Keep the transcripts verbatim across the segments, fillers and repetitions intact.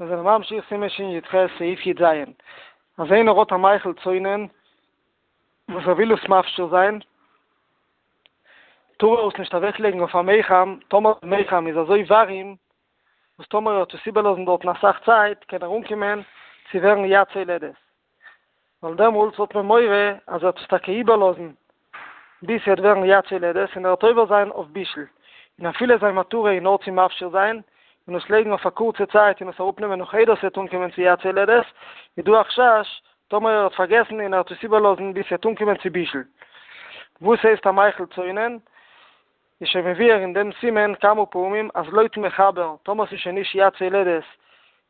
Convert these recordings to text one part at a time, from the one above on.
מיר זענען ממשיך סימן שי"ח סעיף י"ז, אז איינער האט א מאכל צונן וואס ער וויל עס מפשיר זיין, טאר ער עס נישט אוועקלייגן אויף א מיחם, טאמער די מיחם איז אזוי ווארים, וואס טאמער ער וועט עס איבערלאזן דארטן אסאך צייט קען ער אנקומען צו ווערן יד סולדת, ווייל דעמאלטס האט מען מורא אז ער וועט עס טאקע איבערלאזן ביז ס'וועט ווערן יד סולדת און ער וועט עובר זיין אויף בישול, און אפילו זיין מטרה איז נאר צו מפשיר זיין און עס לייגן אויף א קורצע צייט און עס אראפנעמען נאך איידער ס'וועט אנקומען צו יד סולדת, איז דא א חשש טאמער ער האט פארגעסן און ער האט עס איבערלאזן ביז ס'וועט אנקומען צו בישול. וואס הייסט א מאכל צונן? איז שוין מבואר אין דעם סימן כמה פעמים אז לויטן מחבר טאמער ס'איז שוין נישט יד סולדת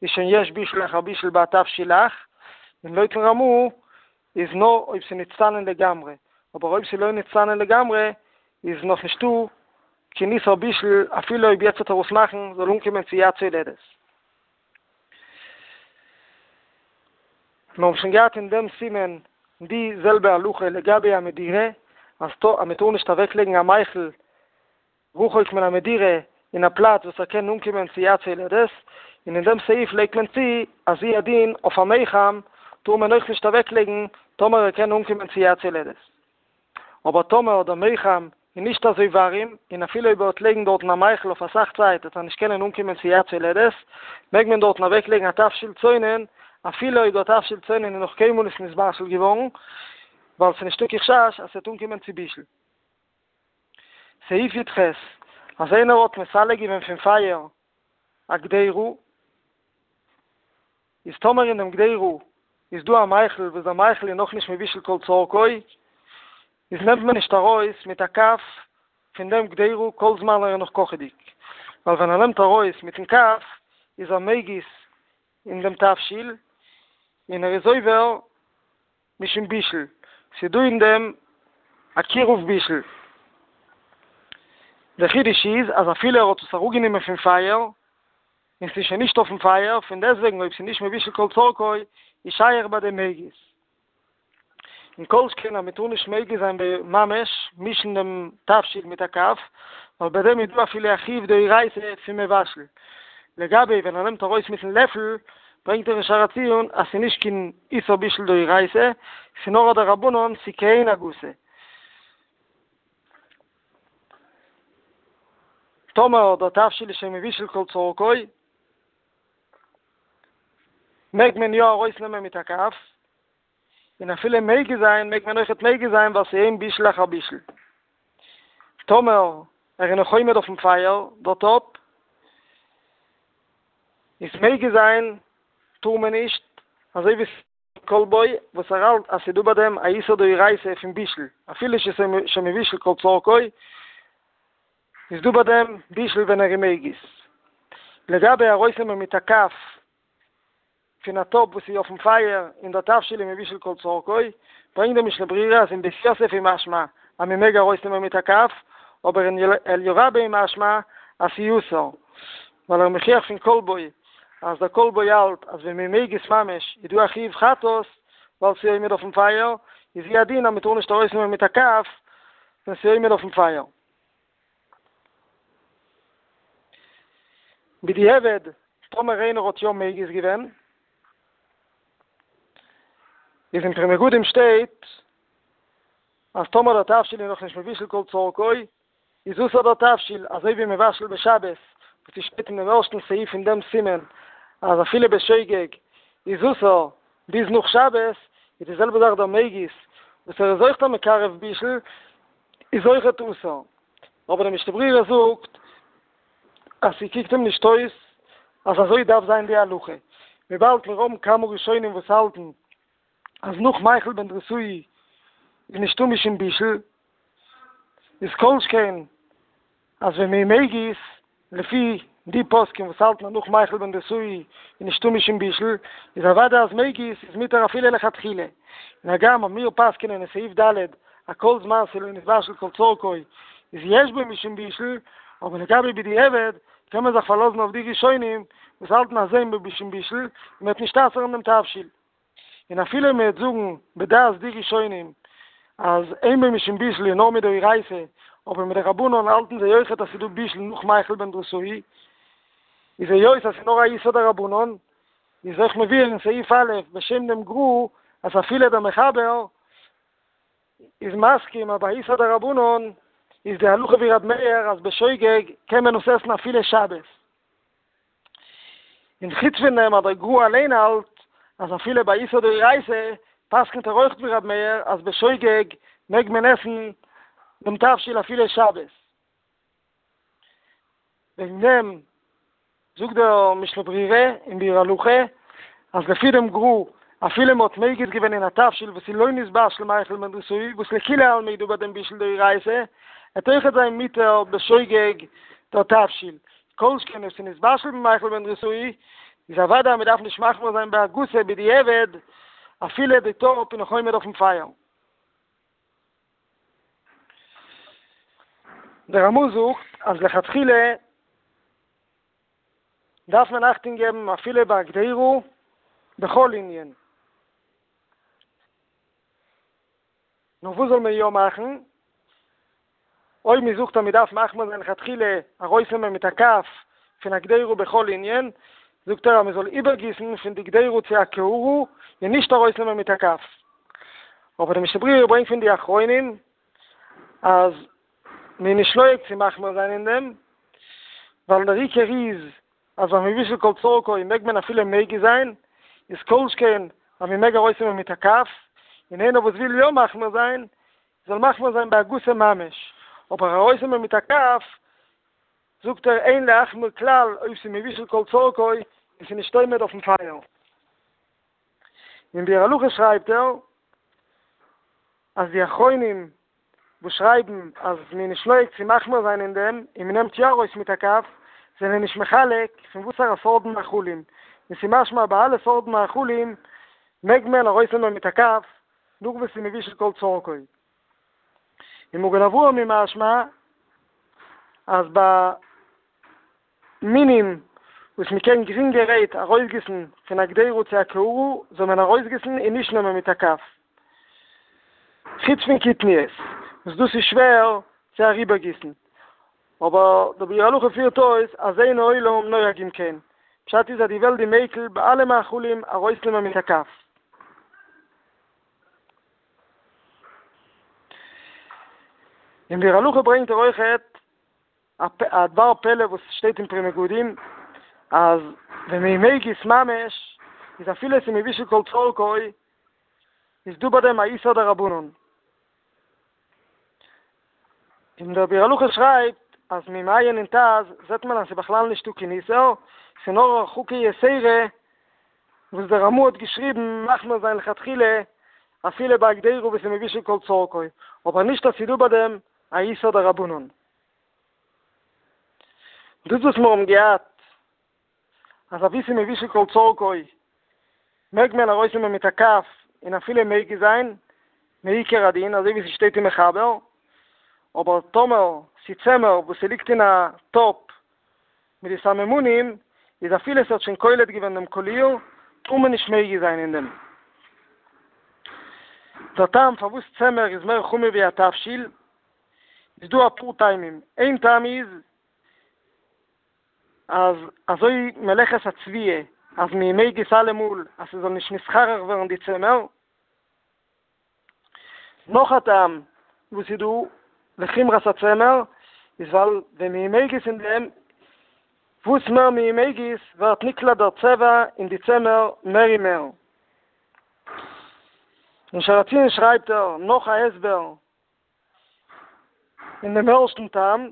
איז שוין יש בישול אחר בישול בהתבשיל לח, און לויטן רמ"א איז נאר אויב ס'איז נצטנן לגמרי, אבער אויב ס'איז לא נצטנן לגמרי איז נאך נישטא קיין איסור בישול אפילו אויב יעצט וועט ער עס מאכן זאל אנקומען צו יד סולדת. מיר האבן שוין געהאט אין דעם סימן די זעלבע הלכה לגבי א מדירה, אז מען טאר נישט אוועקלייגן א מאכל רחוק מן המדירה אין א פלאץ וואס ער קען אנקומען צו יד סולדת, און אין דעם סעיף לייגט מען צו אז הוא הדין אויף א מיחם טאר מען אויך נישט אוועקלייגן טאמער ער קען אנקומען צו יד סולדת. אבער טאמער דער מיחם איז נישט אזוי ווארים, און אפילו אויב ער וועט לייגן דארטן א מאכל אויף אסאך צייט וועט ער נישט קענען אנקומען צו יד סולדת, מעג מען דארטן אוועקלייגן א תבשיל צונן, אפילו אויב דער תבשיל צונן איז נאך קיינמאל נישט נתבשל געווארן, ווייל ס'איז נישטא קיין חשש אז ס'וועט אנקומען צו בישול. סעיף י"ח, אז איינער האט מסלק געווען פון פייער א קדירה, איז טאמער אין דעם קדירה איז דא א מאכל וואס דער מאכל איז נאכנישט מבושל כל צרכו, איז נעמט מען נישט ארויס מיט א כף פון דעם קדירה כל זמן ער איז נאך קאכעדיג, ווייל ווען ער נעמט ארויס מיטן כף איז ער מגיס אין דעם תבשיל און ער איז עובר משום בישול, ס'איז דא אין דעם א קירוב בישול. דער חידוש איז אז אפילו ער האט עס אראפגענומען פון פייער און ס'איז שוין נישט אויפן פייער, פון דעסטוועגן אויב ס'איז נישט מבושל כל צרכו איז שייך ביי דעם מגיס. און כל שכן אז מ'טאר נישט מגיס זיין ממש מישן דעם תבשיל מיט א כף, ווייל ביי דעם איז דא אפילו א חיוב דאורייתא פון מבשל. לגבי ווען ער נעמט ארויס מיטן לעפל, ברענגט ער אין שער הציון אז ס'איז נישט קיין איסור בישול דאורייתא, ס'איז נאר א דרבנן, ס'איז כעין הגסה. טאמער דער תבשיל איז שוין מבושל כל צרכו, מעג מען יא ארויסנעמען מיט א כף, און אפילו מגיס זיין מעג מען אויכעט מגיס זיין ווייל ס'איז אין בישול אחר בישול. טאמער ער איז נאך עומד אויפן פייער דער טאפ, איז מגיס זיין טאר מען נישט, אזוי ווי כל בו וואס ער האלט אז ס'איז דא ביי דעם א איסור דאורייתא פון בישול, אפילו שמבושל כל צרכו, איז דא ביי דעם בישול ווען ער איז מגיס. לגבי ארויסנעמען מיט א כף פון א טאפ וואס איז אויפן פייער און דער תבשיל איז מבושל כל צרכו, ברענגט דער משנה ברורה אז אין בית יוסף איז משמע אז מען מעג ארויסנעמען מיט א כף, אבער אין אליה רבה איז משמע אז ס'איז אסור, ווייל ער איז מוכיח פון כל בו אז דער כל בו האלט אז ווען מען מגיס ממש איז דא א חיוב חטאת ווייל ס'איז עומד אויפן פייער, איז הוא הדין אז מען טאר נישט ארויסנעמען מיט א כף ווען ס'איז עומד אויפן פייער. בדיעבד, טאמער איינער האט יא מגיס געווען, איז אין פרי מגדים שטייט אז טאמער דער תבשיל איז נאכנישט מבושל כל צרכו, איז אסור דער תבשיל, אזוי ווי מבשל בשבת, וואס עס שטייט אין דעם ערשטן סעיף אין דעם סימן, אז אפילו בשוגג איז אסור ביז נאך שבת, איז די זעלבע זאך דער מגיס, וואס ער איז אויך דער מקרב בישול, איז אויכעט אסור. אבער דער משנה ברורה זאגט אז ס'קוקט אים נישט אויס אז אזוי דארף זיין די הלכה, וויבאלד מיר האבן כמה ראשונים וואס האלטן אז נאך מיכל בן דרוסאי איז נישטא משום בישול, איז כל שכן אז ווען מ'איז מגיס, לפי די פוסקים וואס האלטן אז נאך מיכל בן דרוסאי איז נישטא משום בישול, איז אוודאי אז מגיס איז מותר אפילו לכתחילה, און הגם אז מיר פסק'נען אין סעיף ד' אז כל זמן ס'לא נתבשל כל צרכו איז יש בו משום בישול, אבער לגבי בדיעבד קען מען זיך פארלאזן אויף די ראשונים וואס האלטן אז אין בו משום בישול און מ'וועט נישט אסר'ן דעם תבשיל. און אפילו מען וועט זאגן בדעת די ראשונים אז אין בו משום בישול איז נאר מדאורייתא, אבער מדרבנן האלטן זיי אויכעט אז ס'איז דא בישול נאך מיכל בן דרוסאי, איז היות אז ס'איז נאר א איסור דרבנן, איז אויך מבואר אין סעיף א' בשם דעם גר"א אז אפילו דער מחבר איז מסכים אז ביי איסור דרבנן איז די הלכה ווי ר' מאיר אז בשוגג קען מען עס עסן אפילו שבת. און חוץ פון דעם אז דער גר"א אליין האלט אז אפילו ביי איסור דאורייתא פסק'נט ער אויך ווי ר' מאיר אז בשוגג מעג מען עסן דעם תבשיל אפילו שבת. וועגן דעם זאגט דער משנה ברורה אין ביאור הלכה אז לפי דעם גר"א אפילו מען האט מגיס געווען אין א תבשיל וואס איז לא נתבשל מיכל בן דרוסאי וואס לכולי עלמא איז דא ביי דעם בישול דאורייתא עט אויכעט זיין מותר בשוגג דער תבשיל כל שכן אויב ס'איז נתבשל במיכל בן דרוסאי איז אוודאי אז מען דארף נישט מחמיר זיין בהגסה בדיעבד אפילו די טאפ איז נאך עומד אויפן פייער. דער רמ"א זאגט אז לכתחילה דארף מען אכטונג געבן אפילו ביי קדירה בכל ענין. נאר וואס זאל מען יא מאכן? אויב מען זאגט אז מען דארף מחמיר זיין לכתחילה ארויסנעמען מיט א כף פון א קדירה בכל ענין, זאגט ער אז מען זאל איבערגיסן פון די קדירה צו א קערה און נישט ארויסנעמען מיט א כף. אבער די משנה ברורה ברענגט פון די אחרונים אז מען איז נישט נוהג צו מחמיר זיין אין דעם, ווייל דער עיקר איז אז ביי מבושל כל צרכו מעג מען אפילו מגיס זיין, איז כל שכן אז מען מעג ארויסנעמען מיט א כף, און איינער וואס וויל יא מחמיר זיין, זאל מחמיר זיין בהגסה ממש, אבער ארויסנעמען מיט א כף, זאגט ער אין להחמיר כלל אויב ס'איז מבושל כל צרכו און ס'איז נישט עומד אויפן פייער. אין ביאור הלכה שרייבט ער אז די אחרונים וואס שרייבן אז מ'איז נישט נוהג צו מחמיר זיין אין דעם און מ'נעמט יא ארויס מיט א כף, זענען נישט מחלק פון וואסארא סארט מאכלים, און ס'איז משמע ביי אלע סארט מאכלים מעג מען ארויסנעמען מיט א כף נאך וואס ס'איז מבושל כל צרכו. אין מגן אברהם איז משמע אז ביי מינים וואס מען קען גרינגערהייט ארויסגיסן פון א קדירה צו א קערה זאל מען ארויסגיסן און נישט נעמען מיט א כף. חוץ פון קטניות וואס דאס איז שווער צו אריבערגיסן. אבער דער ביאור הלכה פירט אויס אז אין העולם נוהגים כן, פשט איז אז די וועלט איז מיקל ביי אלע מאכלים ארויסנעמען מיט א כף. אין ביאור הלכה ברענגט ער אויכעט א דבר פלא וואס שטייט אין פרי מגדים אז ווען מען מגיס ממש איז אפילו עס איז מבושל כל צרכו איז דא ביי דעם א איסור דרבנן. און דער ביאור הלכה שרייבט אז מ'איז מעיין אין ט"ז זעט מען אז ס'איז בכלל נישטא קיין איסור, ס'איז נאר הרחקה יתירה וואס דער רמ"א האט געשריבן מחמיר זיין לכתחילה אפילו ביי א קדירה וואס איז מבושל כל צרכו, אבער נישט אז ס'איז דא ביי דעם א איסור דרבנן. דאס וואס מיר האבן געהאט אז אבי ס'איז מבושל כל צרכו מעג מען ארויסנעמען מיט א כף און אפילו מגיס זיין מעיקר הדין אזוי ווי ס'שטייט אין מחבר, אבער טאמער ס'צמר וואס ס'ליגט אין א טאפ מיט די סממנים איז אפילו ס'האט שוין קולט געווען דעם קאליר טאר מען נישט מגיס זיין אין דעם. דער טעם פארוואס צמר איז מער חמור ווי א תבשיל איז דא אפאר טעמים, איין טעם איז אז אזוי מלאכת הצביעה אז מ'איז מגיס אלעמאל אז ס'זאל נישט נתחרר ווערן די צמר, נאך א טעם וואס איז דא לחומרת הצמר איז ווייל ווען מ'איז מגיס אין דעם, וואס מער מ'איז מגיס ווערט נקלט דער צבע אין די צמר מער און מער. אין שער הציון שרייבט ער נאך א הסבר אין דעם ערשטן טעם,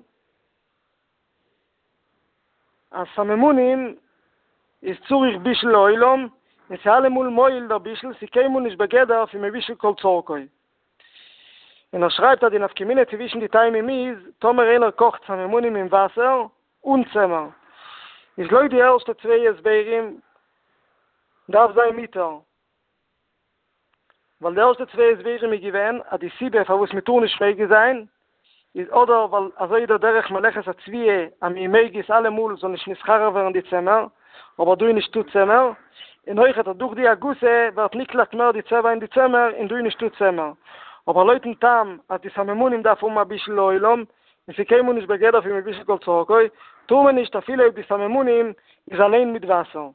אז סממנים איז צריך בישול לעולם, און ס'איז אלעמאל מועיל דער בישול, ס'איז קיינמאל נישט בגדר פון מבושל כל צרכו. און ער שרייבט אז די נפקא מינה צווישן די טעמים איז, טאמער איינער קאכט סממנים אין וואסער אן צמר, איז לויט די ערשטע צוויי הסברים דארף זיין מותר, ווייל די ערשטע צוויי הסברים איז געווען אז די סיבה פארוואס מען טאר נישט מגיס זיין איז אדער ווייל אזוי איז דער דרך מלאכת הצביעה אז מ'איז מגיס אלעמאל זאל נישט נתחרר ווערן די צמר, אבער דא איז נישטא צמר, און אויכעט אז דורך די הגסה ווערט נקלט מער די צבע אין די צמר און דא איז נישטא צמר, אבער לויטן טעם אז די סממנים דארף האבן א בישול לעולם און ס'איז קיינמאל נישט בגדר פון מבושל כל צרכו, טאר מען נישט אפילו אויב די סממנים איז אליין מיט וואסער.